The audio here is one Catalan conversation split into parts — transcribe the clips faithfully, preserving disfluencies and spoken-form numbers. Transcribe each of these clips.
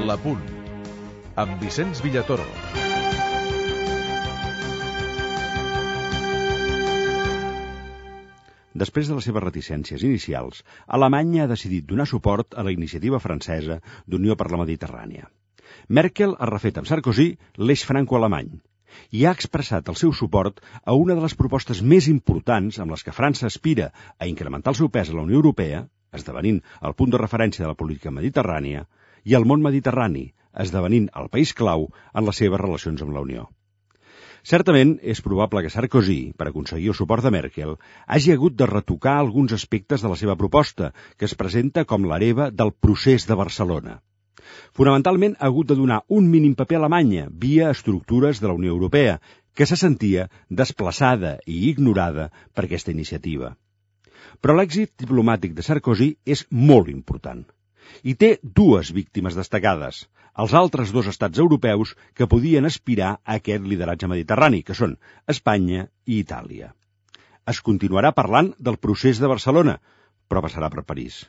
La Punt, amb Vicenç Villatoro. Després de les seves reticències inicials, Alemanya ha decidit donar suport a la iniciativa francesa d'Unió per la Mediterrània. Merkel ha refet amb Sarkozy l'eix franco-alemany i ha expressat el seu suport a una de les propostes més importants amb les que França aspira a incrementar el seu pes a la Unió Europea, esdevenint el punt de referència de la política mediterrània, i el món mediterrani, esdevenint el país clau en les seves relacions amb la Unió. Certament, és probable que Sarkozy, per aconseguir el suport de Merkel, hagi hagut de retocar alguns aspectes de la seva proposta, que es presenta com l'hereva del procés de Barcelona. Fonamentalment, ha hagut de donar un mínim paper a Alemanya via estructures de la Unió Europea, que se sentia desplaçada i ignorada per aquesta iniciativa. Però l'èxit diplomàtic de Sarkozy és molt important. I té dues víctimes destacades, els altres dos estats europeus que podien aspirar a aquest lideratge mediterrani, que són Espanya i Itàlia. Es continuarà parlant del procés de Barcelona, però passarà per París.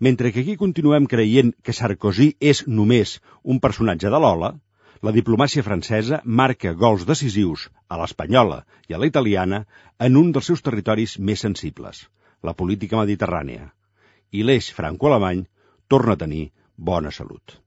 Mentre que aquí continuem creient que Sarkozy és només un personatge de l'Ola, la diplomàcia francesa marca gols decisius a l'espanyola i a la italiana en un dels seus territoris més sensibles, la política mediterrània. I l'eix franco-alemany torna a tenir bona salut.